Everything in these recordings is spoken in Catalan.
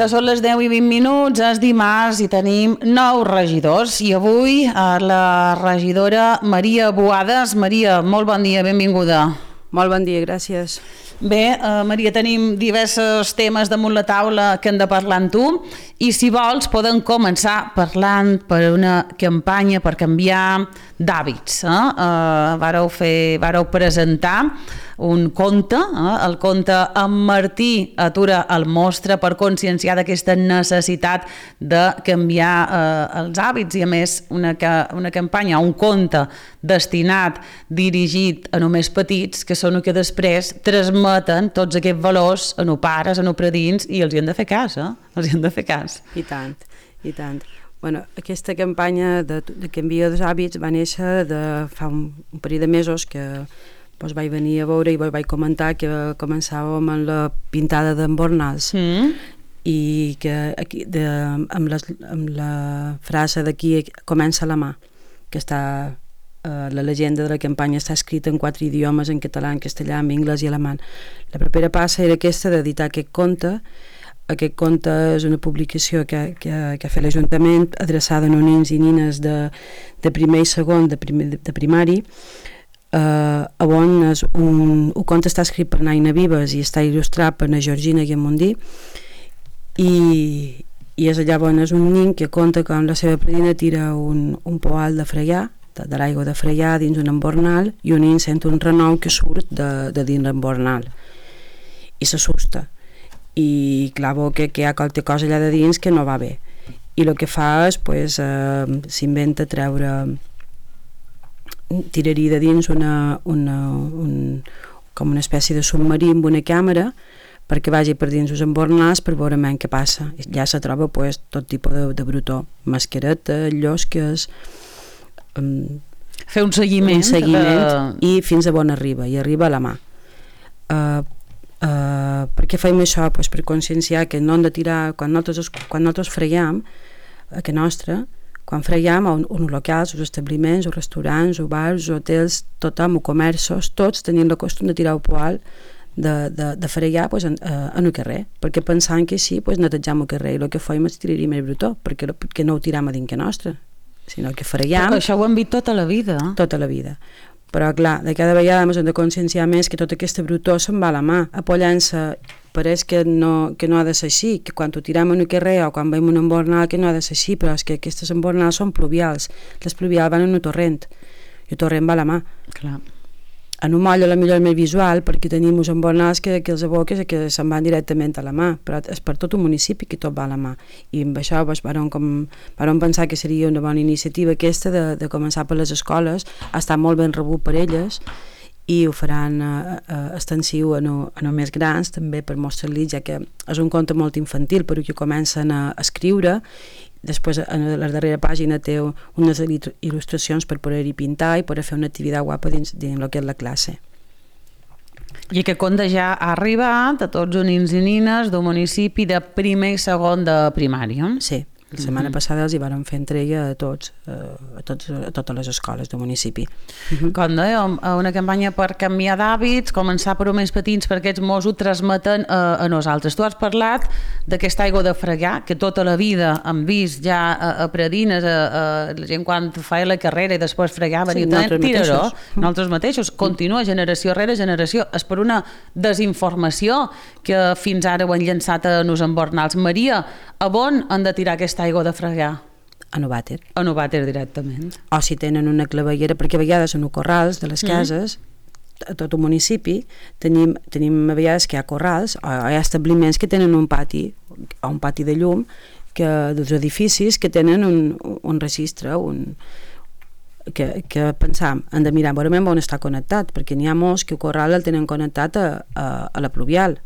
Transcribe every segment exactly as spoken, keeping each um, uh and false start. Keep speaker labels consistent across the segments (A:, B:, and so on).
A: vinga, són les deu i vint minuts, és dimarts i tenim nou regidors. I avui la regidora Maria Boades. Maria, molt bon dia, benvinguda.
B: Molt bon dia, gràcies.
A: Bé, eh, Maria, tenim diversos temes damunt la taula que hem de parlar amb tu i si vols podem començar parlant per una campanya per canviar d'hàbits. Eh? Eh, vareu, fer, vareu presentar un conte, eh? el conte En Martí atura el mostre, per conscienciar d'aquesta necessitat de canviar eh, els hàbits i a més una, una campanya, un conte destinat, dirigit a només petits, que són els que després transmeten tots aquests valors a no pares, a no predins i els hi han de fer cas, eh? Els hi han de fer cas.
B: I tant, i tant. Bueno, aquesta campanya de, de canviar dels hàbits va néixer de fa un, un parell de mesos que doncs vaig venir a veure i vaig comentar que començàvem amb la pintada d'embornals mm. i que aquí, de, amb, les, amb la frase d'aquí comença la mà, que està eh, la llegenda de la campanya està escrita en quatre idiomes, en català, en castellà, en anglès i alemany. La propera passa era aquesta d'editar aquest conte. Aquest conte és una publicació que, que, que ha fet l'Ajuntament adreçada a nens i nines de, de primer i segon de, primer, de primari. Uh, on és un, un conte està escrit per Naina Vives i està il·lustrat per na Georgina Guiamondí i, i és allà on és un nen que conta com la seva predina tira un, un poal de fregar, de, de l'aigua de fregar dins un embornal i un nen sent un renou que surt de, de dins l'embornal i s'assusta i clar, veu que, que hi ha qualque cosa allà de dins que no va bé i el que fa és pues, uh, s'inventa treure tiraria de dins una, una, un, com una espècie de submarí amb una càmera perquè vagi per dins els embornals per veure men què passa. Ja se troba pues, tot tipus de, de brutó, mascaretes, llosques, um,
A: fer un seguiment,
B: un seguiment de... i fins a on arriba, i arriba a la mà. Uh, uh, per què fem això? Pues per conscienciar que no hem de tirar, quan nosaltres, quan nosaltres freiem, a que nostra, quan freiem a uns locals, els establiments, els restaurants, els bars, els hotels, tothom, els comerços, tots tenien el costum de tirar el poal de, de, de fregar pues, en, en el carrer, perquè pensant que sí, pues, netejam el carrer i el que fèiem és tiraríem el brutó, perquè, perquè no ho tiram a dintre nostre, sinó que freiem...
A: Però això ho hem vist tota la vida.
B: Tota la vida. Però clar, de cada vegada hem de conscienciar més que tota aquesta brutó se'n va a la mà, apollant-se. Pareix que no, que no ha de ser així, que quan ho tirem en un carrer o quan veiem un embornal que no ha de ser així, però és que aquestes embornals són pluvials, les pluvials van en un torrent i el torrent va a la mà.
A: Clar.
B: En un moll a la millor més visual perquè tenim uns embornals que, que els aboques que se'n van directament a la mà, però és per tot un municipi que tot va a la mà i amb això doncs, vam, com, vam pensar que seria una bona iniciativa aquesta de, de començar per les escoles, ha estat molt ben rebut per elles i ho faran eh, eh, extensiu a no, a no més grans també per mostrar-li, ja que és un conte molt infantil però que comencen a escriure, després en la darrera pàgina té unes il·lustracions per poder-hi pintar i poder fer una activitat guapa dins, dins el que és la classe.
A: I aquest conte ja ha arribat a tots els nens i nines del municipi de primer i segon de primària.
B: Sí. La setmana uh-huh. passada els hi vàrem fer entrega a tots, a, tots, a totes les escoles del municipi.
A: Uh-huh. Com dèiem, una campanya per canviar d'hàbits, començar per més petits perquè aquests mos ho transmeten a, a nosaltres. Tu has parlat d'aquesta aigua de fregar, que tota la vida hem vist ja a, a predines, a, a la gent quan feia la carrera i després fregava,
B: sí,
A: i
B: nosaltres
A: tiraró,
B: mateixos.
A: Nosaltres mateixos. Continua generació rere generació. És per una desinformació que fins ara ho han llançat a nos embornals. Maria, a on han de tirar aquesta aigua de fregar?
B: A no vàter.
A: A no vàter directament.
B: O si tenen una clavellera, perquè a vegades en els corrals de les cases, mm. a tot el municipi, tenim, tenim a vegades que hi ha corrals, o hi ha establiments que tenen un pati, o un pati de llum, que, dels edificis que tenen un, un registre, un, que, que pensam, hem de mirar veure on està connectat, perquè n'hi ha molts que el corral el tenen connectat a, a, a la pluvial,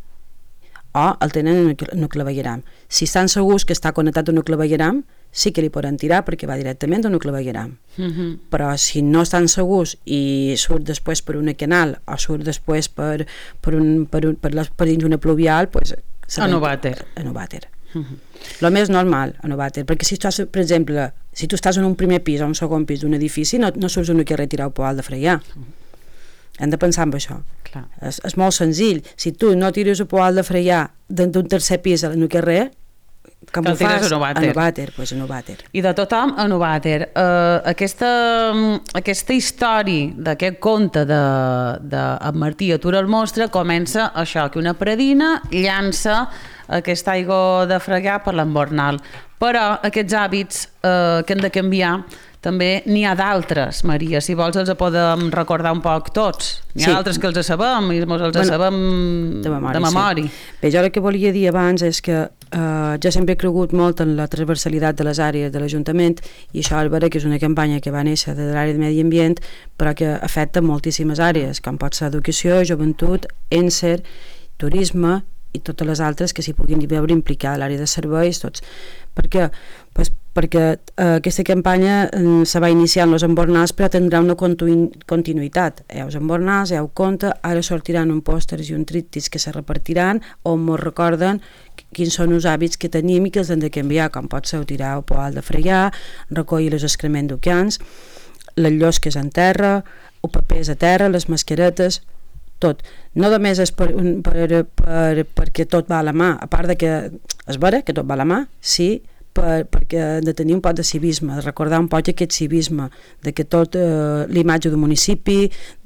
B: o el tenen en un clavegueram. Si estan segurs que està connectat a un clavegueram, sí que li poden tirar perquè va directament a un clavegueram. Uh-huh. Però si no estan segurs i surt després per una canal o surt després per, per, un, per, un, per, les, per dins una pluvial, pues,
A: a no vàter.
B: A no vàter. Uh-huh. Lo més normal, a no vàter, perquè si tu estàs, per exemple, si tu estàs en un primer pis o un segon pis d'un edifici, no, no surts un carrer a tirar el poal de fregar. Uh-huh. Hem de pensar en això.
A: Clar.
B: És, és molt senzill. Si tu no tires el poal de fregar d'un tercer pis en el carrer, com
A: que
B: ho fas
A: a Novater.
B: A Novater, pues a Novater.
A: I de tothom a Novater. Uh, aquesta, aquesta història d'aquest conte de, de en Martí atura el monstre comença això, que una predina llança aquesta aigua de fregar per l'embornal. Però aquests hàbits eh, que hem de canviar també n'hi ha d'altres, Maria. Si vols els podem recordar un poc tots. N'hi ha sí. d'altres que els sabem i ens els bueno, sabem de memòria. De memòria. Sí.
B: Bé, jo el que volia dir abans és que eh, jo sempre he cregut molt en la transversalitat de les àrees de l'Ajuntament i això és vera que és una campanya que va néixer de l'àrea de medi ambient però que afecta moltíssimes àrees, com pot ser educació, joventut, Enser, turisme i totes les altres que s'hi puguin veure implicada, l'àrea de serveis, tots. Per què? Pues perquè eh, aquesta campanya eh, se va iniciar en els embornals però tindrà una continu continuïtat. Hi ha els embornals, hi ha el conte, ara sortiran un pòsters i un tríptics que se repartiran on ens recorden quins són els hàbits que tenim i que els hem de canviar, com pot ser tirar el poal de fregar, recollir els excrements d'oceans, les llosques en terra, el paper a terra, les mascaretes, tot. No només és per, per, per, perquè tot va a la mà, a part de que és vera que tot va a la mà, sí, per, perquè hem de tenir un poc de civisme, de recordar un poc aquest civisme, de que tot eh, l'imatge del municipi,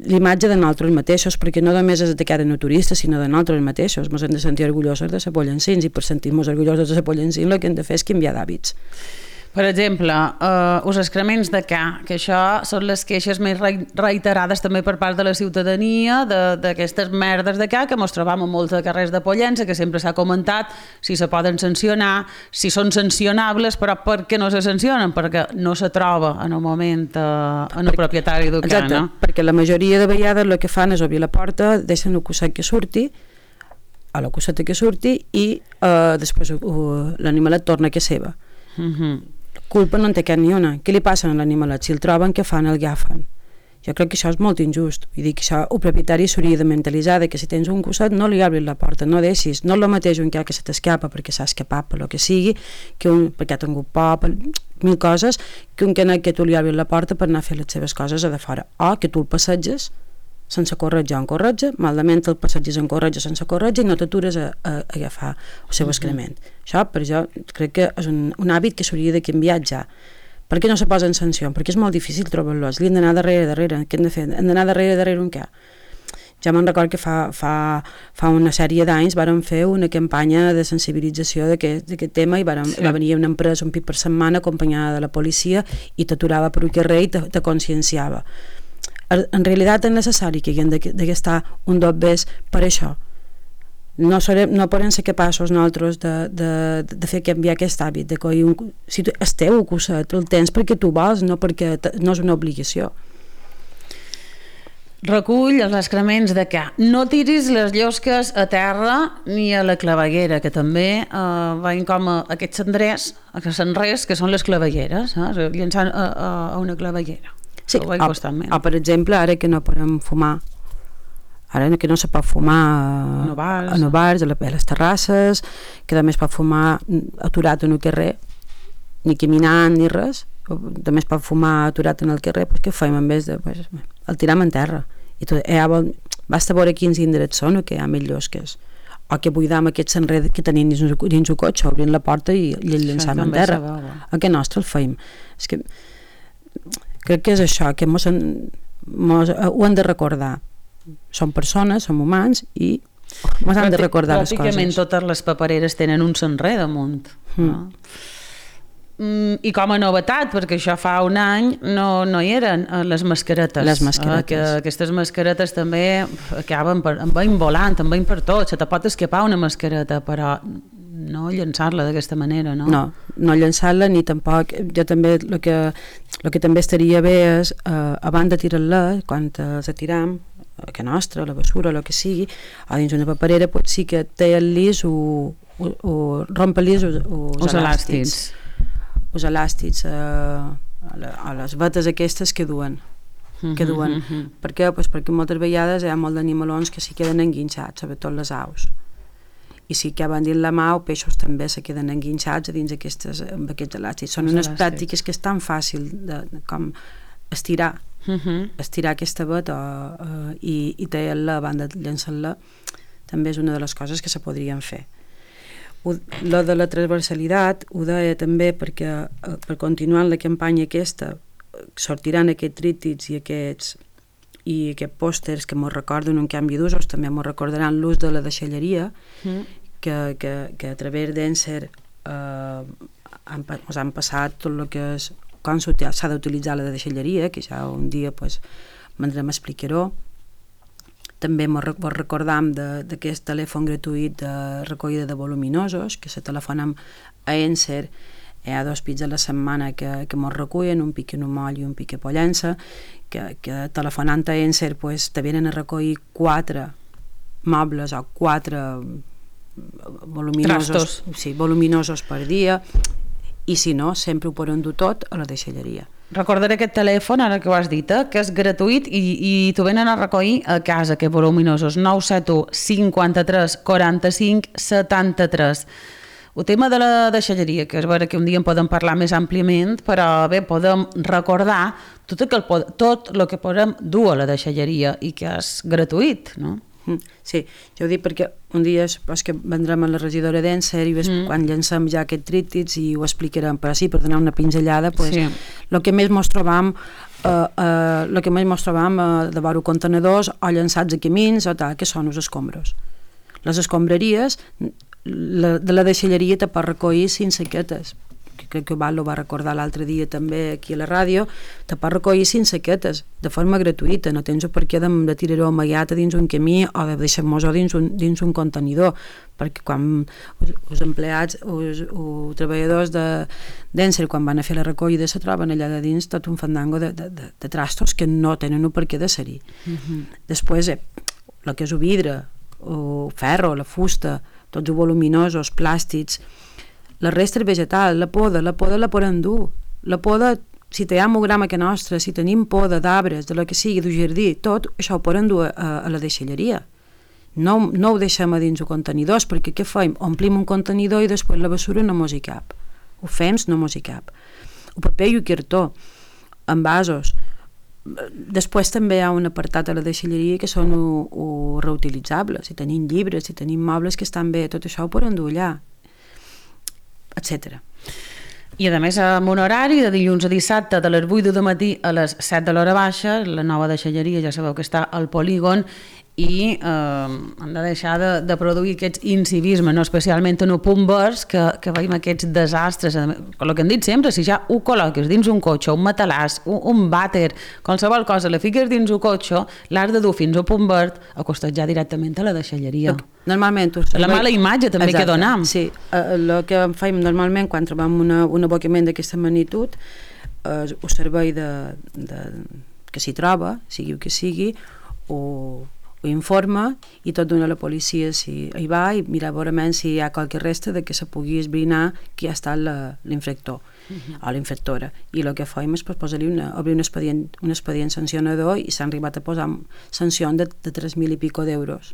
B: l'imatge de nosaltres mateixos, perquè no només és de cara no turistes, sinó de nosaltres mateixos, ens hem de sentir orgullosos de ser pollancins i per sentir-nos orgullosos de ser pollancins el que hem de fer és canviar d'hàbits.
A: Per exemple, eh, els excrements de ca, que això són les queixes més reiterades també per part de la ciutadania d'aquestes merdes de ca que ens trobam en molts carrers de Pollença, que sempre s'ha comentat si se poden sancionar, si són sancionables, però per què no se sancionen? Perquè no se troba en el moment eh, en el propietari del ca, no?
B: Perquè la majoria de vegades el que fan és obrir la porta, deixen el cosset que surti, a la coseta que surti i eh, després uh, l'animalet torna a casa seva.
A: Mhm.
B: Culpa no en té cap ni una. Què li passa a l'animalet? Si el troben, què fan? El agafen. Jo crec que això és molt injust. Vull dir que això, el propietari s'hauria de mentalitzar de que si tens un cosset no li obris la porta, no deixis, no el mateix un que se t'escapa perquè s'ha escapat per lo que sigui, que un, perquè ha tingut por, per mil coses, que un que no que tu li obris la porta per anar a fer les seves coses a de fora. O que tu el passeges sense corretja o en corretja, malament el passeges en corretja sense corretja i no t'atures a, a, a agafar el seu excrement. Uh -huh. Això, per jo, crec que és un, un hàbit que s'hauria de canviar ja. Per què no se posa en sanció? Perquè és molt difícil trobar-los. Li hem d'anar darrere, darrere. Què hem de fer? Hem d'anar darrere, darrere un què? Ja me'n recordo que fa, fa, fa una sèrie d'anys vàrem fer una campanya de sensibilització d'aquest tema i vàrem, sí. va venir una empresa un pit per setmana acompanyada de la policia i t'aturava per un carrer i te, te conscienciava. En realitat és necessari que haguem d'estar un dos bes per això. No, serem, no podem ser capaços nosaltres de, de, de fer canviar aquest hàbit, de coir un, si tu, el teu cosset, el tens perquè tu vols, no perquè no és una obligació.
A: Recull els excrements de ca. No tiris les llosques a terra ni a la claveguera, que també eh, veiem com a aquests cendrers, aquests cendrers que són les clavegueres, eh? llençant a, a, a una claveguera.
B: Sí, o, o per exemple, ara que no podem fumar, ara que no se pot fumar a,
A: no bars,
B: a no bars, a les terrasses, que també es pot fumar aturat en el carrer, ni caminant ni res, també es pot fumar aturat en el carrer, pues què fem en vez de... Pues, el tiram en terra. I tot, eh, basta veure quins indrets són o que hi ha més llosques. O que buidam aquests enreds que tenim dins, dins un cotxe, obrint la porta i, i el llençam en terra. A què nostre el feim? És que crec que és això, que mos, mos, ho hem de recordar. Som persones, som humans i mos hem de recordar les coses.
A: Pràcticament totes les papereres tenen un cenrer damunt. Mm. No? Mm, I com a novetat, perquè això fa un any no, no hi eren les mascaretes.
B: Les mascaretes.
A: Eh, que aquestes mascaretes també acaben per, en veiem volant, en veiem per tot. Se te pot escapar una mascareta, però no llançar-la d'aquesta manera, no?
B: No, no llançar-la ni tampoc... Jo també, el que, el que també estaria bé és, eh, abans de tirar-la, quan els atiram, que nostra, la basura, el que sigui, o dins una paperera, pot sí que té el lis o, o, o rompe-lis els elàstics. Els elàstics a, a les vetes aquestes que duen. Que duen. Mm -hmm. Per què? Pues perquè moltes vegades hi ha molt d'animalons que s'hi queden enguinxats, sobretot les aus. I si acaben dins la mà, els peixos també se queden enguinxats a dins aquestes, amb aquests elàstics. Són unes pràctiques que és tan fàcil de, de, com estirar, uh -huh. estirar aquesta veta uh, i, i tallar-la abans de llançar-la també és una de les coses que se podrien fer. lo de la transversalitat ho deia també perquè eh, per continuar la campanya aquesta sortiran aquests tríptics i aquests i aquests pòsters que ens recorden un canvi d'usos, també ens recordaran l'ús de la deixalleria, mm. que, que, que a través d'Encer eh, han, han passat tot el que és com s'ha d'utilitzar la deixalleria, que ja un dia pues, vendrem a explicar-ho. També ens recordam d'aquest telèfon gratuït de recollida de voluminosos, que se telefonem a Encer. Hi ha dos pits a la setmana que, que ens recullen, un pic en un moll i un pic a Pollença, que, que telefonant a Encer pues, te venen a recollir quatre mobles o quatre voluminosos, sí, voluminosos per dia, i si no, sempre ho poden dur tot a la deixalleria.
A: Recordaré aquest telèfon, ara que ho has dit, eh, que és gratuït i, i t'ho venen a recollir a casa, aquests voluminosos, nou set u cinquanta-tres quaranta-cinc setanta-tres. El tema de la deixalleria, que és vera que un dia en podem parlar més àmpliament, però bé, podem recordar tot el que, tot el que podem dur a la deixalleria i que és gratuït, no?
B: Sí, jo ho dic perquè un dia és que vendrem a la regidora d'Encer i mm. quan llancem ja aquests tríptics i ho explicarem, però sí, per donar una pinzellada, pues, sí. el que més mos trobam Uh, uh, el que més mos trobam uh, de veure contenedors o llançats a camins o tal, que són els escombros. Les escombraries la, de la deixalleria te pot recollir cinc saquetes, que crec que Val ho va recordar l'altre dia també aquí a la ràdio, te pot recollir cinc saquetes de forma gratuïta, no tens per què de, de tirar-ho amagat dins un camí o de deixar-nos-ho dins, un, dins un contenidor, perquè quan els empleats els, els treballadors d'Encer quan van a fer la recollida se troben allà de dins tot un fandango de, de, de, de trastos que no tenen per què de ser-hi. Uh-huh. Després eh, el que és el vidre, el ferro, la fusta, tots els voluminosos, plàstics, la resta vegetal, la poda, la poda la podem dur. La poda, si hi ha mogramà que nostra, si tenim poda d'arbres, de lo que sigui, del jardí, tot això ho podem dur a, a la deixalleria. No, no ho deixem a dins els contenidors, perquè què fem? Omplim un contenidor i després la bessura no mos hi cap. Ho fem, no mos hi cap. El paper i el cartó, envasos. Després també hi ha un apartat a la deixalleria que són o, o reutilitzables. Si tenim llibres, si tenim mobles que estan bé, tot això ho podem dur allà, etcètera.
A: I a més amb un horari de dilluns a dissabte de les vuit del matí a les set de l'hora baixa, la nova deixalleria ja sabeu que està al polígon i eh, han de deixar de, de produir aquests incivismes, no? Especialment en un punt vers que, que veiem aquests desastres, el que hem dit sempre, si ja ho col·loques dins un cotxe, un matalàs, un, un vàter, qualsevol cosa, la fiques dins un cotxe, l'has de dur fins a punt verd, acostat ja directament a la deixalleria.
B: Normalment...
A: La mala imatge també
B: exacte,
A: que donam.
B: Sí, el uh, que fem normalment quan trobem una, un abocament d'aquesta magnitud, uh, el servei de, de, que s'hi troba, sigui el que sigui, o ho informa i tot dona a la policia si hi va i mira veurament si hi ha qualque resta de que se pugui esbrinar qui ha estat l'infractor uh-huh. o l'infractora. I el que fem és posar-li una, obrir un expedient, un expedient sancionador i s'han arribat a posar sancions de, de tres mil i pico d'euros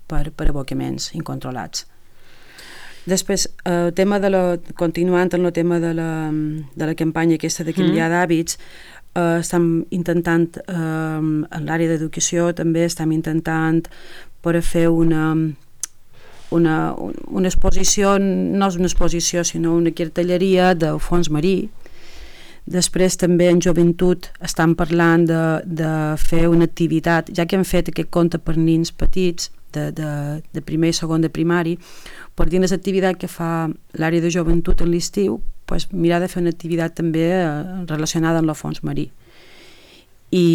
B: per, per abocaments incontrolats. Després, el tema de la, continuant en el tema de la, de la campanya aquesta de canviar mm. d'hàbits, Uh, estem intentant, uh, en l'àrea d'educació també estem intentant per fer una, una, una exposició, no és una exposició sinó una cartelleria del fons marí. Després també en joventut estem parlant de, de fer una activitat, ja que hem fet aquest conte per nins petits de, de, de primer i segon de primari, per dins l'activitat que fa l'àrea de joventut en l'estiu, pues, mirar de fer una activitat també eh, relacionada amb el fons marí. I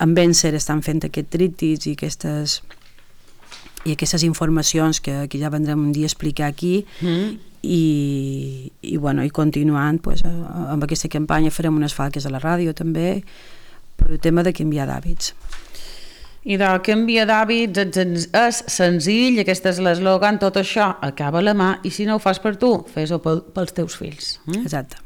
B: amb Encer estan fent aquests tríptics i aquestes, i aquestes informacions que, que ja vendrem un dia a explicar aquí mm. i, i, bueno, i continuant pues, amb aquesta campanya farem unes falques a la ràdio també per el tema de canviar d'hàbits.
A: I de canviar d'hàbits és senzill, aquest és l'eslògan, tot això acaba a la mà i si no ho fas per tu, fes-ho pels teus fills.
B: Mm? Exacte.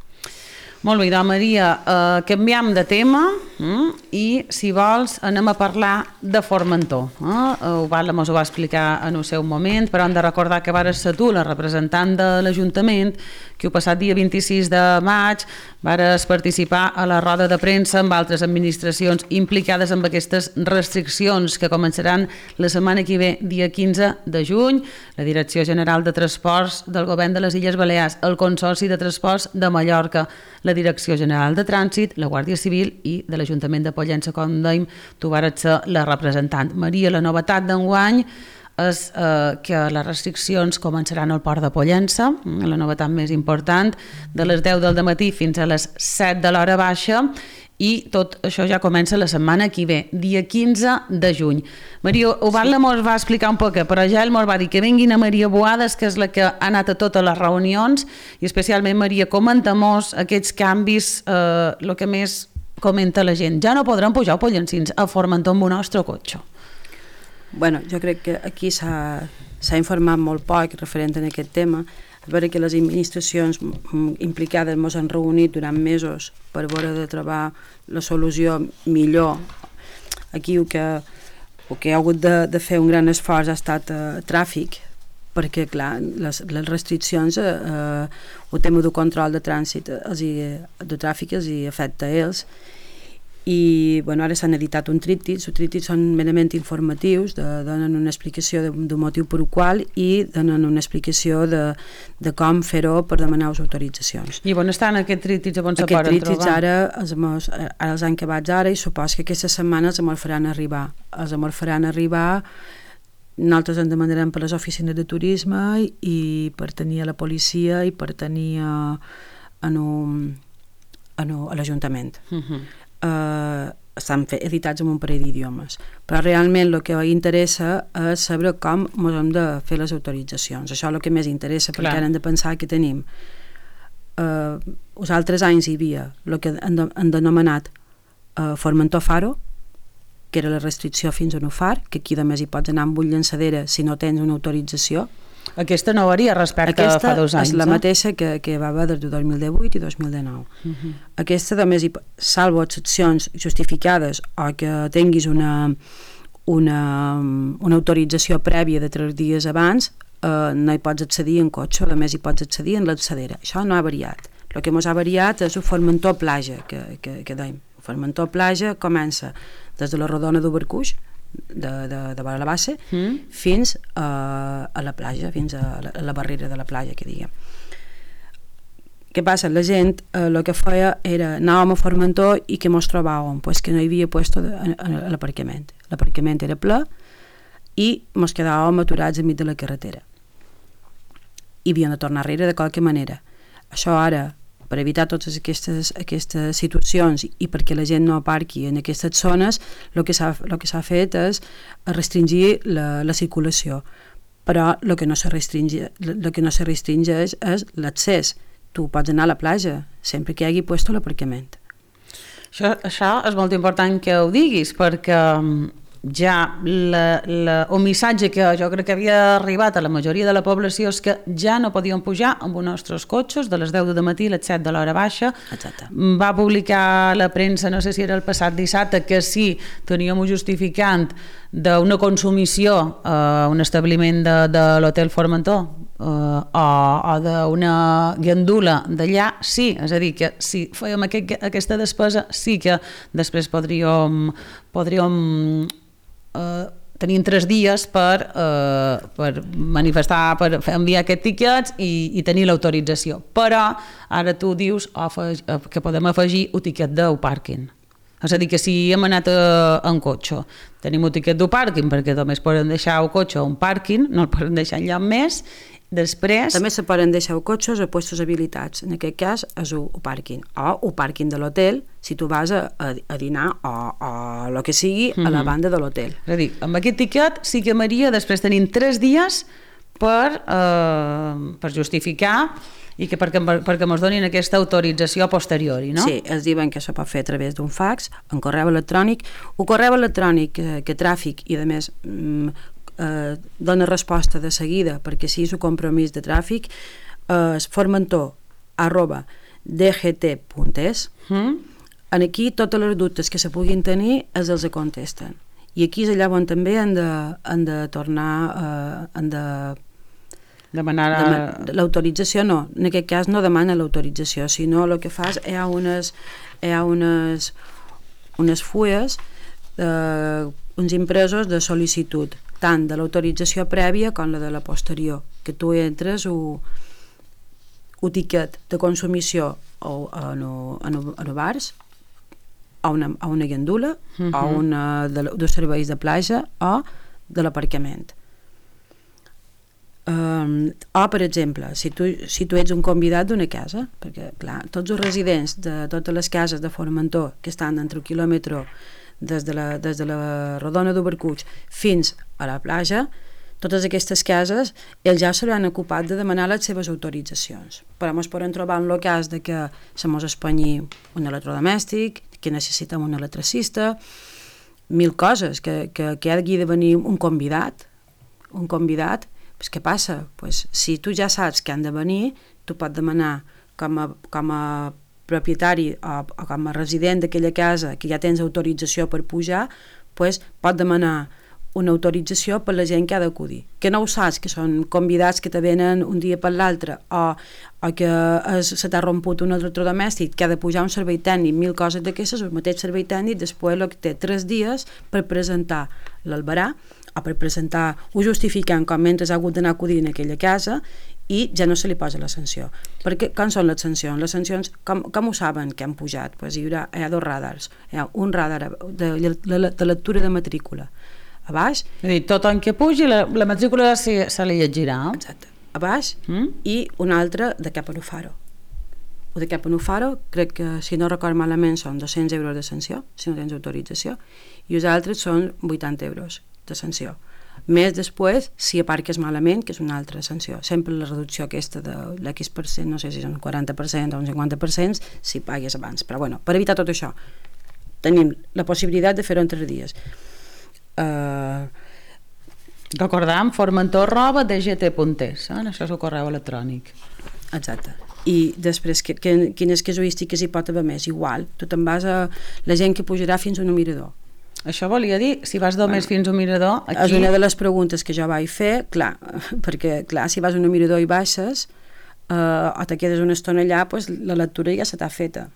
A: Molt bé, doncs Maria, eh, canviem de tema mm, i si vols anem a parlar de Formentor. Eh? Ho va, mos ho va explicar en el seu moment, però hem de recordar que vares ser tu, la representant de l'Ajuntament, que el passat dia vint-i-sis de maig vares participar a la roda de premsa amb altres administracions implicades amb aquestes restriccions que començaran la setmana que ve, dia quinze de juny. La Direcció General de Transports del Govern de les Illes Balears, el Consorci de Transports de Mallorca, la Direcció General de Trànsit, la Guàrdia Civil i de l'Ajuntament de Pollença, com dèiem, tu vares ser la representant. Maria, la novetat d'enguany és eh, que les restriccions començaran al port de Pollença, la novetat més important, de les deu del matí fins a les set de l'hora baixa, i tot això ja comença la setmana que ve, dia quinze de juny. Maria, Ovalda mos va explicar un poc, però ja ell mos va dir que vinguin a Maria Boades, que és la que ha anat a totes les reunions, i especialment, Maria, comenta-mos aquests canvis, eh, el que més comenta la gent. Ja no podran pujar pollencins a Formentor amb un nostre cotxe.
B: Bueno, jo crec que aquí s'ha informat molt poc referent a aquest tema. És vera que les administracions implicades ens han reunit durant mesos per veure de trobar la solució millor. Aquí el que, el que ha hagut de, de fer un gran esforç ha estat eh, tràfic, perquè clar, les, les restriccions, eh, el tema del control de trànsit, els hi, de tràfic els hi afecta a ells. I bueno, ara s'han editat un tríptic, els tríptics són merament informatius, de, donen una explicació de, del motiu per el qual i donen una explicació de, de com fer-ho per demanar les autoritzacions.
A: I on estan aquests tríptics? On se poden trobar?
B: Aquests tríptics ara, els, ara els han acabats ara i supos que aquesta setmana els amor faran arribar. Els amor faran arribar, nosaltres en demanarem per les oficines de turisme i per tenir a la policia i per tenir a, a, a, a l'Ajuntament. Uh-huh. Uh, estan editats en un parell d'idiomes, però realment el que interessa és saber com ens hem de fer les autoritzacions. Això és el que més interessa, perquè ara hem de pensar que tenim uh, els altres anys hi havia el que han, de, han denomenat uh, Formentor Faro, que era la restricció fins a un far, que aquí a més hi pots anar amb un llançadera si no tens una autorització.
A: Aquesta no varia respecte
B: Aquesta
A: a fa dos anys.
B: Aquesta és la
A: eh?
B: mateixa que, que va haver des de dos mil divuit i dos mil dinou. Uh-huh. Aquesta, a més, salvo excepcions justificades o que tinguis una, una, una autorització prèvia de tres dies abans, eh, no hi pots accedir en cotxe, a més hi pots accedir en l'alçadera. Això no ha variat. El que ens ha variat és el Formentor Plaja, que, que, que dèiem. El Formentor Plaja comença des de la Rodona d'Obercuix, de, de, de la base, mm. fins a, a la platja, fins a la, a la barrera de la platja, que diguem. Què passa? La gent eh, el que feia era anàvem a Formentor i que mos trobàvem? Pues que no hi havia puesto de, a, a l'aparcament. L'aparcament era ple i mos quedàvem aturats enmig de la carretera. I havíem de tornar enrere de qualque manera. Això ara, per evitar totes aquestes, aquestes situacions i perquè la gent no aparqui en aquestes zones, el que s'ha el que s'ha fet és restringir la, la circulació. Però el que no se restringeix, el que no se restringeix és l'accés. Tu pots anar a la platja sempre que hi hagi puesto l'aparcament.
A: Això, això és molt important que ho diguis, perquè ja la, la, un missatge que jo crec que havia arribat a la majoria de la població és que ja no podíem pujar amb els nostres cotxes de les deu del matí a les set de l'hora baixa.
B: Exacte.
A: Va publicar la premsa, no sé si era el passat dissabte, que sí, teníem un justificant d'una consumició a un establiment de, de l'Hotel Formentor eh, o, o d'una gandula d'allà, sí, és a dir, que si fèiem aquest, aquesta despesa sí que després podríem, podríem Uh, tenien tres dies per, uh, per manifestar, per enviar aquests tiquets i, i tenir l'autorització. Però ara tu dius afeg, que podem afegir un tiquet del pàrquing. És a dir, que si hem anat uh, en cotxe, tenim un tiquet del pàrquing perquè només poden deixar el cotxe a un pàrquing, no el poden deixar enlloc més. Després...
B: També se poden deixar cotxes a puestos habilitats. En aquest cas és el pàrquing. O el pàrquing de l'hotel, si tu vas a, a dinar o, o el que sigui a la banda de l'hotel.
A: És a dir, amb aquest tiquet sí que Maria després tenim tres dies per, eh, per justificar i que perquè, perquè ens donin aquesta autorització posteriori, no?
B: Sí, els diuen que això pot fer a través d'un fax, en correu electrònic. El correu electrònic que, que tràfic i a més eh, dona resposta de seguida perquè si és un compromís de tràfic, és formentor arroba d g t punt es.
A: Mm?
B: Aquí totes les dubtes que se puguin tenir els els contesten. I aquí és allà on també han de, han de tornar, eh, han de...
A: Demanar...
B: Dema l'autorització no, en aquest cas no demana l'autorització, sinó el que fas hi ha unes, hi ha unes, unes fulles, eh, uns impresos de sol·licitud, tant de l'autorització prèvia com la de la posterior, que tu entres o un tiquet de consumició o en, en, en bars, a una, a una gandula, uh-huh. o una de, de serveis de platja o de l'aparcament. Um, o, per exemple, si tu, si tu ets un convidat d'una casa, perquè, clar, tots els residents de totes les cases de Formentor que estan entre un quilòmetre des de la, des de la rodona d'Obercuig fins a la platja, totes aquestes cases ells ja s'hauran ocupat de demanar les seves autoritzacions. Però ens podem trobar en el cas de que se mos espanyi un electrodomèstic, que necessitem un electricista, mil coses, que, que, que ha de venir un convidat, un convidat, pues què passa? Pues, si tu ja saps que han de venir, tu pots demanar com a, com a propietari o, o com a resident d'aquella casa que ja tens autorització per pujar, pues, pots demanar una autorització per la gent que ha d'acudir. Que no ho saps, que són convidats que te venen un dia per l'altre, o, o que es, se t'ha romput un electrodomèstic, que ha de pujar un servei tècnic, mil coses d'aquestes, el mateix servei tècnic després el que té tres dies per presentar l'albarà, o per presentar, ho justificant com mentre ha hagut d'anar a acudir en aquella casa, i ja no se li posa la sanció. Perquè com són les sancions? Les sancions, com, com ho saben que han pujat? Pues hi, haurà, hi ha dos radars. Hi ha un radar de, de, de lectura de matrícula a baix.
A: És a dir, tot en què pugi, la, la matrícula se, se li llegirà.
B: Exacte. A baix,
A: mm?
B: i un altre de cap a Nufaro. O de cap a Nufaro, crec que, si no record malament, són dos-cents euros de sanció, si no tens autorització, i els altres són vuitanta euros de sanció. Més després, si aparques malament, que és una altra sanció. Sempre la reducció aquesta de l'X per cent, no sé si és un quaranta per cent o un cinquanta per cent, si pagues abans. Però bueno, per evitar tot això, tenim la possibilitat de fer-ho en tres dies. Uh...
A: Recordam, formentor arroba d g t punt es, eh? Això és el correu electrònic.
B: Exacte. I després, que, que, quines casuístiques hi pot haver més? Igual, tu te'n vas a la gent que pujarà fins a un mirador.
A: Això volia dir, si vas només bueno, fins a un mirador, aquí...
B: És una de les preguntes que jo vaig fer, clar, perquè, clar, si vas a un mirador i baixes, uh, o te quedes una estona allà, pues, la lectura ja se t'ha feta.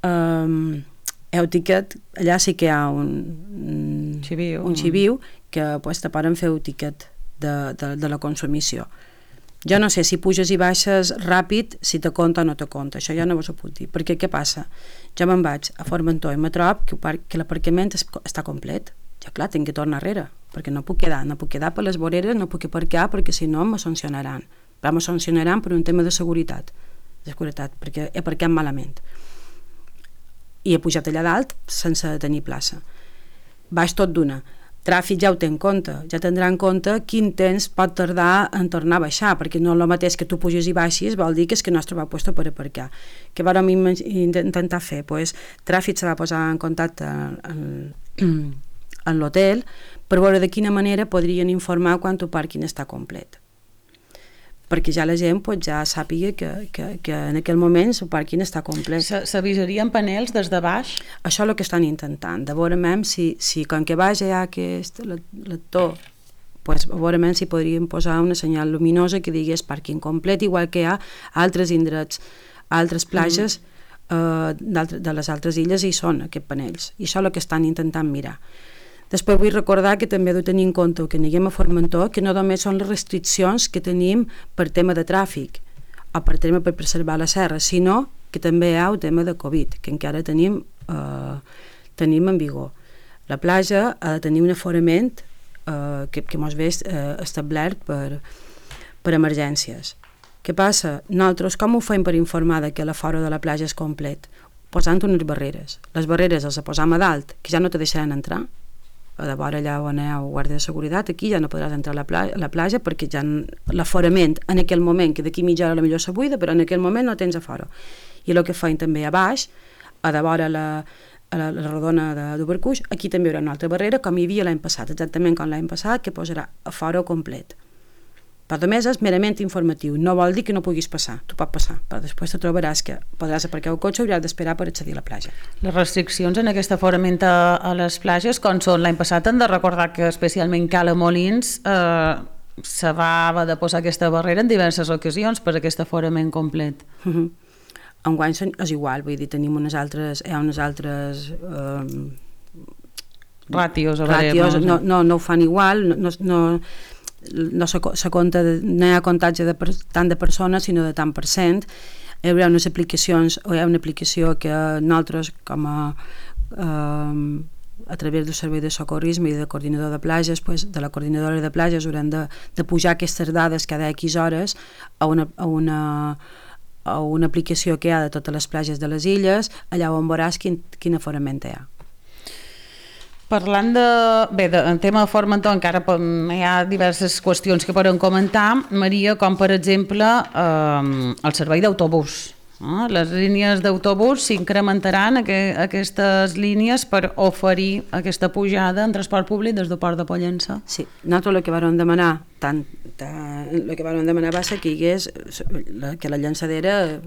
B: Um, heu tiquet, allà sí que hi ha un
A: xiviu,
B: un xiviu que pues, te poden fer un tiquet de, de, de la consumició. Jo no sé si puges i baixes ràpid, si te compta o no te compta, això ja no vos ho puc dir, perquè què passa? Jo me'n vaig a Formentor i me trob que, que l'aparcament està complet, ja clar, tinc que tornar enrere, perquè no puc quedar, no puc quedar per les voreres, no puc aparcar, perquè si no me sancionaran, però me sancionaran per un tema de seguretat, de seguretat, perquè he aparcat malament. I he pujat allà dalt sense tenir plaça. Baix tot d'una. Tràfic ja ho té en compte, ja tindrà en compte quin temps pot tardar en tornar a baixar, perquè no és el mateix que tu puges i baixis, vol dir que és que no es troba puesto per aparcar. Què vam intentar fer? Pues, Tràfic se va posar en contacte en, en l'hotel per veure de quina manera podrien informar quan el pàrquing està complet, perquè ja la gent pues, ja sàpiga que, que, que en aquell moment el pàrquing està complet.
A: S'avisarien panels des de baix?
B: Això és el que estan intentant, de veure si, si com que baix hi ha aquest lector, pues, veure si podríem posar una senyal luminosa que digués pàrquing complet, igual que hi ha altres indrets, altres platges mm. eh, de les altres illes hi són aquests panells, i això és el que estan intentant mirar. Després vull recordar que també heu de tenir en compte que anem a Formentor, que no només són les restriccions que tenim per tema de tràfic o per tema per preservar la serra, sinó que també hi ha el tema de Covid, que encara tenim, eh, tenim en vigor. La platja ha de tenir un aforament eh, que, que mos ve eh, establert per, per emergències. Què passa? Nosaltres com ho fem per informar que l'afora de la platja és complet? Posant unes barreres. Les barreres les posam a dalt, que ja no te deixaran entrar, a de vora allà on hi ha guàrdia de seguretat, aquí ja no podràs entrar a la, pla a la platja perquè ja l'aforament en aquell moment, que d'aquí mitja hora potser se buida, però en aquell moment no tens afora. I el que feim també a baix, a de vora la, a la, la rodona d'Obercuix, aquí també hi haurà una altra barrera, com hi havia l'any passat, exactament com l'any passat, que posarà afora complet. però només és merament informatiu, no vol dir que no puguis passar, tu pots passar, però després te trobaràs que podràs aparcar el cotxe i hauràs d'esperar per accedir a la platja.
A: Les restriccions en aquest aforament a, a les platges, com són? L'any passat hem de recordar que especialment Cala Molins eh, se va haver de posar aquesta barrera en diverses ocasions per aquest aforament complet.
B: Uh -huh. Enguany és igual, vull dir, tenim unes altres, hi ha unes altres eh,
A: ràtios, a
B: ràtios veure, no, no, no ho fan igual, no, no, no, no se, se compta, de, no hi ha comptatge de per, tant de persones sinó de tant per cent. Hi haurà unes aplicacions, o hi ha una aplicació que nosaltres com a eh, a través del servei de socorrisme i de coordinador de platges, pues, de la coordinadora de platges haurem de, de pujar aquestes dades cada X hores a una, a una a una aplicació que hi ha de totes les platges de les illes, allà on veuràs quin, quin aforament hi ha.
A: Parlant de... Bé, de, en tema de Formentor encara hi ha diverses qüestions que podem comentar, Maria, com per exemple eh, el servei d'autobús. Eh? Les línies d'autobús s'incrementaran aqu aquestes línies per oferir aquesta pujada en transport públic des del Port de Pollença.
B: Sí, nosaltres el que vam demanar, tant, tant, el que vam demanar va ser que hi hagués la, que la llançadera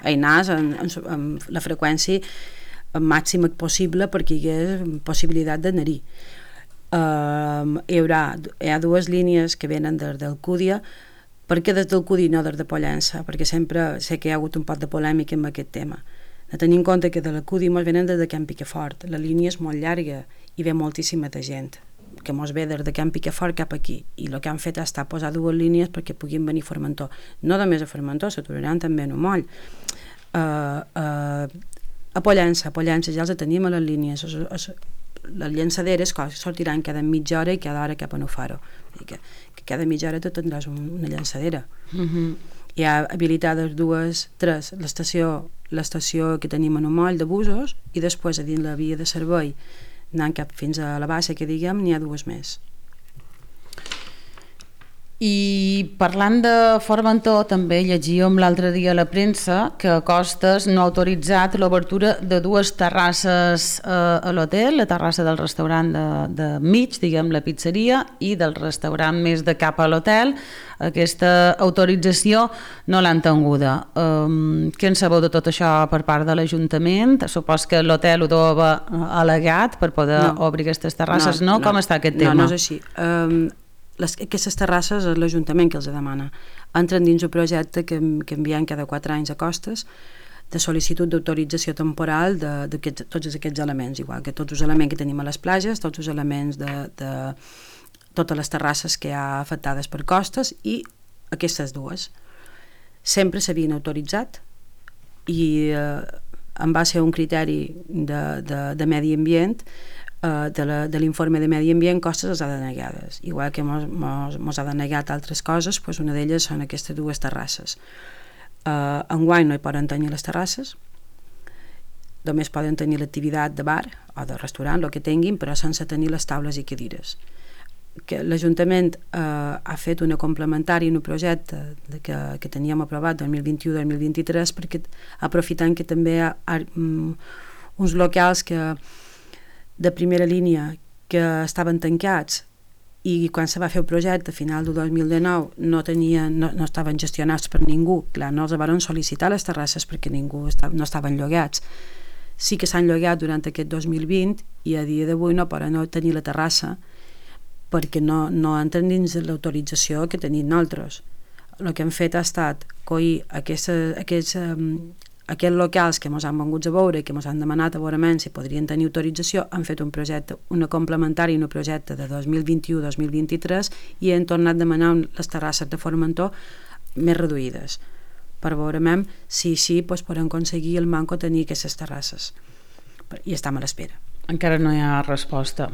B: anés en, en, en la freqüència màxima possible perquè hi hagués possibilitat d'anar-hi. Uh, hi haurà hi ha dues línies que venen des d'Alcúdia. Per què des d'Alcúdia i no des de Pollença? Perquè sempre sé que hi ha hagut un poc de polèmica amb aquest tema. De tenir en compte que de l'Alcúdia mos venen des de Can Picafort. La línia és molt llarga i ve moltíssima de gent que mos ve des de Can Picafort cap aquí, i el que han fet ha estat posar dues línies perquè puguin venir a Formentor. No només a Formentor, s'aturaran també a Nomoll. Uh, uh, a Pollença, a Pollença ja els tenim a les línies. Es, es, les llançaderes sortiran cada mitja hora i cada hora cap a Nufaro. Que, que cada mitja hora tu tindràs un, una llançadera. Uh-huh. Hi ha habilitades dues, tres, l'estació l'estació que tenim a Nomoll de busos, i després a dins la via de servei anant cap fins a la bassa, que diguem, n'hi ha dues més.
A: I parlant de Formentor, també llegíem l'altre dia a la premsa que Costes no ha autoritzat l'obertura de dues terrasses eh, a l'hotel, la terrassa del restaurant de, de mig, diguem, la pizzeria, i del restaurant més de cap a l'hotel. Aquesta autorització no l'han tinguda. Um, què en sabeu de tot això per part de l'Ajuntament? Supos que l'hotel ho deu haver al·legat per poder no. obrir aquestes terrasses, no? no? Com està aquest tema?
B: No, no és així. Um, Les, aquestes terrasses és l'Ajuntament que els demana. Entren dins un projecte que, que enviem cada quatre anys a Costes de sol·licitud d'autorització temporal de, de aquest, tots aquests elements, igual que tots els elements que tenim a les platges, tots els elements de, de totes les terrasses que hi ha afectades per Costes, i aquestes dues. Sempre s'havien autoritzat i eh, en va ser un criteri de, de, de medi ambient, de l'informe de medi ambient, Costes els ha denegades, igual que mos, mos, mos ha denegat altres coses, doncs una d'elles són aquestes dues terrasses. Uh, enguany no hi poden tenir les terrasses, només poden tenir l'activitat de bar o de restaurant, el que tinguin, però sense tenir les taules i cadires. Que l'Ajuntament uh, ha fet una complementària en un projecte de que, que teníem aprovat dos mil vint-i-u dos mil vint-i-tres, perquè aprofitant que també hi ha um, uns locals que de primera línia que estaven tancats i quan se va fer el projecte a final del dos mil dinou no, tenien, no, no estaven gestionats per ningú, clar, no els van sol·licitar les terrasses perquè ningú esta, no estaven llogats. Sí que s'han llogat durant aquest dos mil vint i a dia d'avui no poden no tenir la terrassa perquè no, no entren dins l'autorització que tenim nosaltres. El que hem fet ha estat coir aquests, aquests um, aquests locals que ens han vengut a veure i que ens han demanat a veure si podrien tenir autorització, han fet un projecte, una complementària en un projecte de dos mil vint-i-u dos mil vint-i-tres i han tornat a demanar les terrasses de Formentor més reduïdes per veure si així doncs, podem aconseguir el manco tenir aquestes terrasses, i estem a l'espera.
A: Encara no hi ha resposta.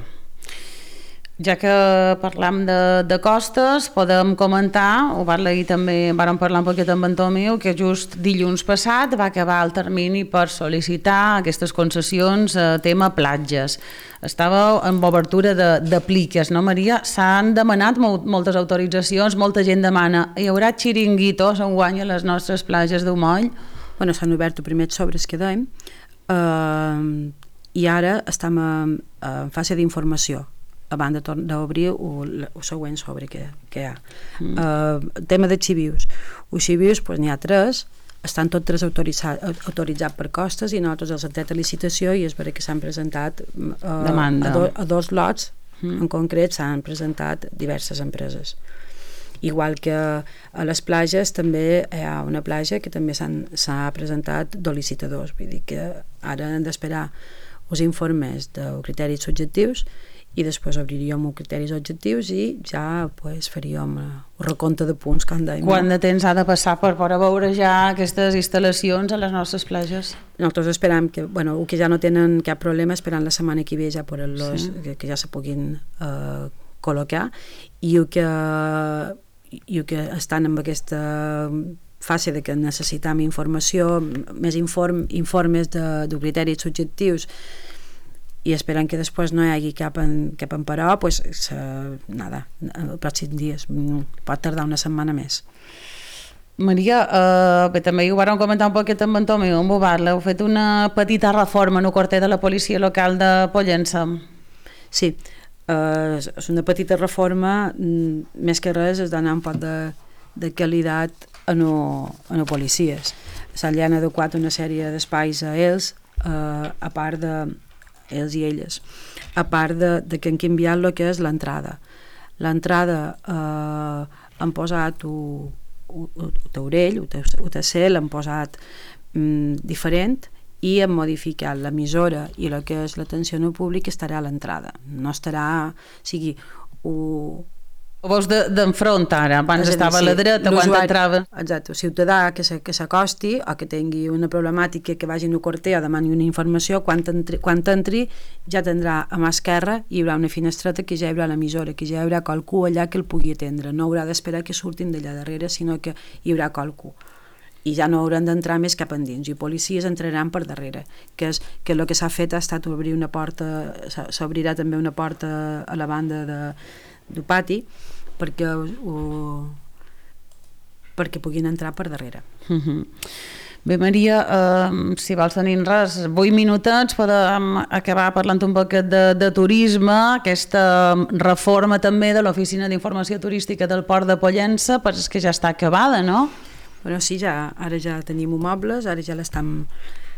A: Ja que parlam de, de Costes, podem comentar, ho vam dir també, vam parlar un poquet amb en Tomeu, que just dilluns passat va acabar el termini per sol·licitar aquestes concessions a tema platges. Estava en obertura de, de pliques, no, Maria? S'han demanat molt, moltes autoritzacions, molta gent demana. Hi haurà xiringuitos enguany a les nostres platges d'Umoll?
B: Bueno, s'han obert els primers sobres que dèiem, eh, i ara estem en, en fase d'informació. abans d'obrir el següent sobre que, que hi ha. Mm. Uh, el tema dels xivius. Els xivius, pues, n'hi ha tres, estan tots tres autoritzats autoritzat per costes i nosaltres els hem tret a licitació i és perquè que s'han presentat uh, a, do, a dos lots, mm. en concret s'han presentat diverses empreses. Igual que a les platges també hi ha una platja que també s'ha presentat dos licitadors, vull dir que ara hem d'esperar els informes de criteris subjectius i després obriríem els criteris objectius i ja pues, faríem el recompte de punts que han de...
A: Quant de temps ha de passar per poder veure ja aquestes instal·lacions a les nostres platges?
B: Nosaltres esperam que, bueno, que ja no tenen cap problema, esperant la setmana que ve ja poder-los, sí. que, que ja se puguin uh, col·locar i el que, i el que estan en aquesta fase de que necessitam informació, més inform, informes de, de criteris subjectius i esperant que després no hi hagi cap, en, cap emparó, pues, se, nada, els pròxims dies, pot tardar una setmana més.
A: Maria, eh, bé, també ho vàrem comentar un poquet amb en Tomeu, amb Bobarla, heu fet una petita reforma en el quarter de la policia local de Pollença.
B: Sí, eh, és una petita reforma, més que res és donar un poc de, de qualitat a no, a no policies. Se li han adequat una sèrie d'espais a ells, eh, a part de ells i elles, a part de, de que han canviat el que és l'entrada. L'entrada eh, han posat el taurell, el tercer l'han posat mm, diferent i han modificat l'emissora i el que és l'atenció al públic estarà a l'entrada. No estarà... O sigui, o,
A: Ho veus d'enfront ara, abans estava a la dreta, quan entrava...
B: Exacte, el ciutadà que s'acosti o que tingui una problemàtica que vagi en el quarter o demani una informació, quan entri, quan entri ja tindrà a mà esquerra, hi haurà una finestreta que ja hi haurà l'emissora, que ja hi haurà qualcú allà que el pugui atendre, no haurà d'esperar que surtin d'allà darrere, sinó que hi haurà qualcú. I ja no hauran d'entrar més cap endins, i policies entraran per darrere, que és que el que s'ha fet ha estat obrir una porta, s'obrirà també una porta a la banda de del pati perquè, o, perquè puguin entrar per darrere.
A: Uh-huh. Bé, Maria, eh, si vols tenir res, vuit minutets podem acabar parlant un poquet de, de turisme, aquesta reforma també de l'Oficina d'Informació Turística del Port de Pollença, però és que ja està acabada, no?
B: Bueno, sí, ja, ara ja tenim mobles, ara ja l'estem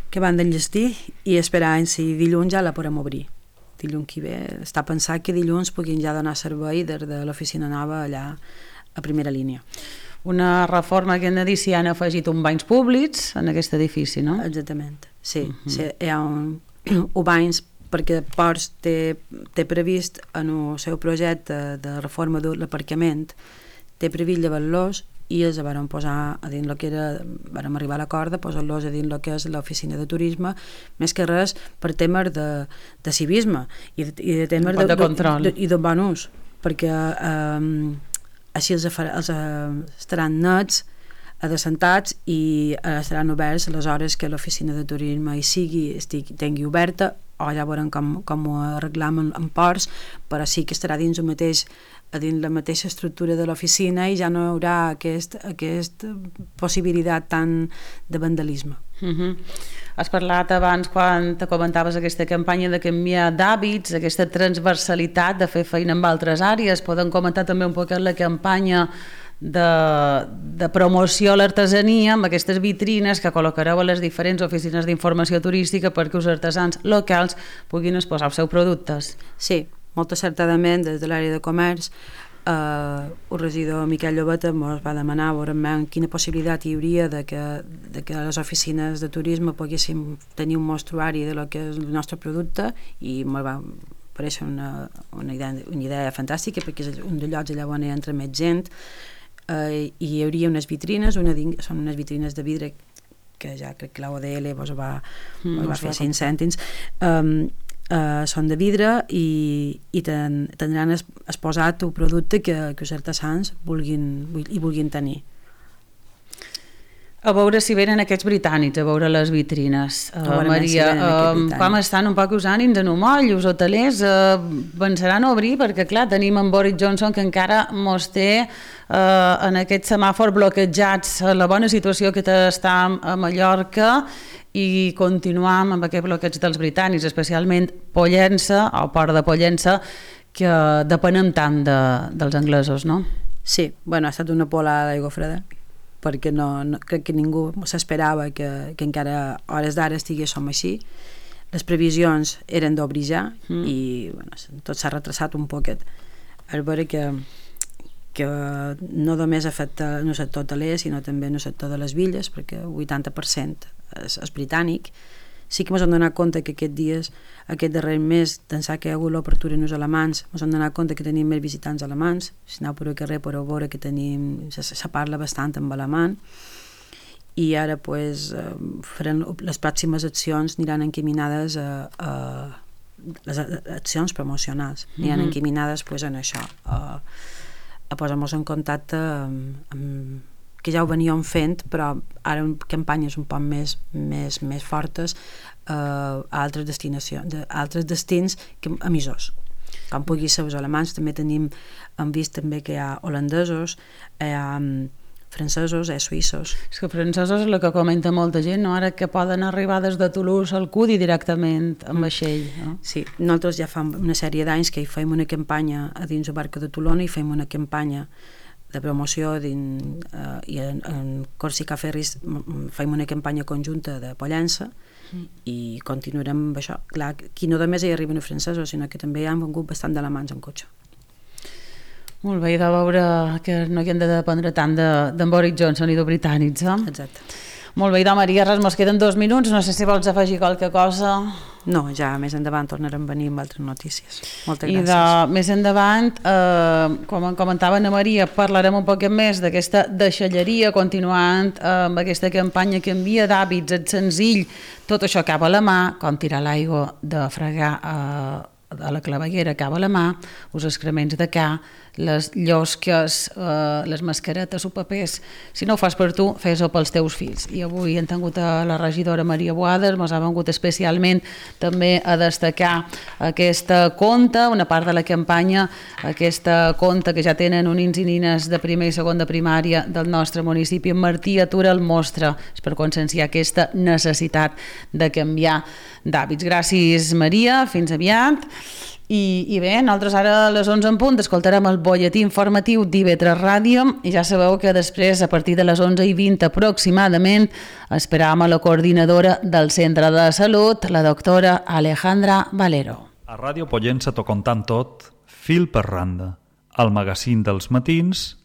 B: acabant d'enllestir i esperant si dilluns ja la podem obrir. Dilluns que ve, està pensat que dilluns puguin ja donar servei des de l'oficina nova allà a primera línia.
A: Una reforma que hem de dir si han afegit un banys públics en aquest edifici, no?
B: Exactament, sí. Uh-huh. Sí, hi ha un, un banys perquè Ports té, té previst en el seu projecte de reforma de l'aparcament, té previst llevar-los i els van posar a dins el que era, vam arribar a l'acord de posar-los a dins el que és l'oficina de turisme, més que res per temes de, de civisme i de, i de temes
A: de,
B: de,
A: de,
B: de, i de bon ús, perquè eh, així els, els estaran nets, adescentats i estaran oberts a les hores que l'oficina de turisme hi sigui, estigui, tingui oberta, o ja veurem com, com ho arreglam en, en ports, però sí que estarà dins el mateix a dins la mateixa estructura de l'oficina i ja no hi haurà aquest, aquesta possibilitat tant de vandalisme.
A: Uh-huh. Has parlat abans, quan te comentaves aquesta campanya de canviar d'hàbits, aquesta transversalitat de fer feina en altres àrees. Podem comentar també un poc la campanya de, de promoció a l'artesania amb aquestes vitrines que col·locareu a les diferents oficines d'informació turística perquè els artesans locals puguin exposar els seus productes.
B: Sí, molt acertadament des de l'àrea de comerç eh, el regidor Miquel Llobeta ens va demanar veurem quina possibilitat hi hauria de que, de que les oficines de turisme poguéssim tenir un mostruari de lo que és el nostre producte i ens va parèixer una, una, idea, una idea fantàstica perquè és un dels llocs allà on hi entra més gent eh, i hi hauria unes vitrines, una, són unes vitrines de vidre que ja crec que l'O D L vos va, mm, vos va fer cinc cèntims um, Uh, són de vidre i, i ten, tindran es, exposat el producte que, que els artesans vulguin, i vulguin tenir.
A: A veure si venen aquests britànics a veure les vitrines. Uh, Maria, si uh, com estan un poc els ànims en un moll, els hotelers uh, pensaran a obrir perquè clar, tenim en Boris Johnson que encara mos té uh, en aquest semàfor bloquejats la bona situació que està a Mallorca i continuam amb aquest bloqueig dels britànics, especialment Pollença, o Port de Pollença, que depenem tant de, dels anglesos, no?
B: Sí, bueno, ha estat una polada d'aigua freda, perquè no, no, crec que ningú s'esperava que, que encara a hores d'ara estiguéssim així. Les previsions eren d'obrir ja mm. i bueno, tot s'ha retrasat un poquet. És veure que, que no només afecta no el sector hoteler, sinó també el sector de les villes, perquè el vuitanta per cent és, és britànic. Sí que ens hem donat compte que aquests dies, aquest darrer mes, d'ençà que hi ha hagut l'obertura en els alemans, ens hem donat compte que tenim més visitants alemans. Si aneu per el carrer podeu veure que tenim, se, se parla bastant amb alemany, i ara pues, farem, les pròximes accions aniran encaminades a, a les accions promocionals, aniran mm-hmm. encaminades pues, en això, a, a posar-nos en contacte amb, amb que ja ho veníem fent, però ara en campanyes un poc més, més, més fortes eh, a altres destinacions, a altres destins que emissors. Com pugui ser els alemanys, també tenim, hem vist també que hi ha holandesos, hi ha francesos, hi ha suïssos.
A: És que francesos és el que comenta molta gent, no? Ara que poden arribar des de Toulouse al Cudi directament amb vaixell. No?
B: Sí, nosaltres ja fa una sèrie d'anys que hi fem una campanya a dins el barca de Tolona i fem una campanya de promoció din, uh, i en, en Corsica Ferris fem una campanya conjunta de Pollença mm. i continuarem amb això. Clar, aquí no només hi arriben els francesos, sinó que també hi han vengut bastant d'alemans en cotxe.
A: Molt bé, i de veure que no hi hem de dependre tant d'en de, Boris Johnson i de britànics, eh?
B: Exacte.
A: Molt bé, i de Maria, res, mos queden dos minuts, no sé si vols afegir qualque cosa.
B: No, ja més endavant tornarem a venir amb altres notícies. Moltes gràcies.
A: I de més endavant, eh, com comentava Ana Maria, parlarem un poc més d'aquesta deixalleria, continuant eh, amb aquesta campanya que envia d'hàbits, és senzill, tot això acaba a la mà, com tirar l'aigua de fregar eh, a la claveguera acaba a la mà, els excrements de ca, les llosques, eh, les mascaretes o papers. Si no ho fas per tu, fes-ho pels teus fills. I avui hem tingut a la regidora Maria Boades, ens ha vengut especialment també a destacar aquesta conta, una part de la campanya, aquesta conta que ja tenen uns nins i nines de primer i segon de primària del nostre municipi. En Martí Atura el mostra, és per conscienciar aquesta necessitat de canviar d'hàbits. Gràcies, Maria, fins aviat. I, i bé, nosaltres ara a les onze en punt escoltarem el butlletí informatiu d'I V tres Ràdio i ja sabeu que després, a partir de les onze i vint aproximadament, esperam a la coordinadora del Centre de Salut, la doctora Alejandra Valero.
C: A Ràdio Pollença t'ho contant tot, fil per randa, el magazín dels matins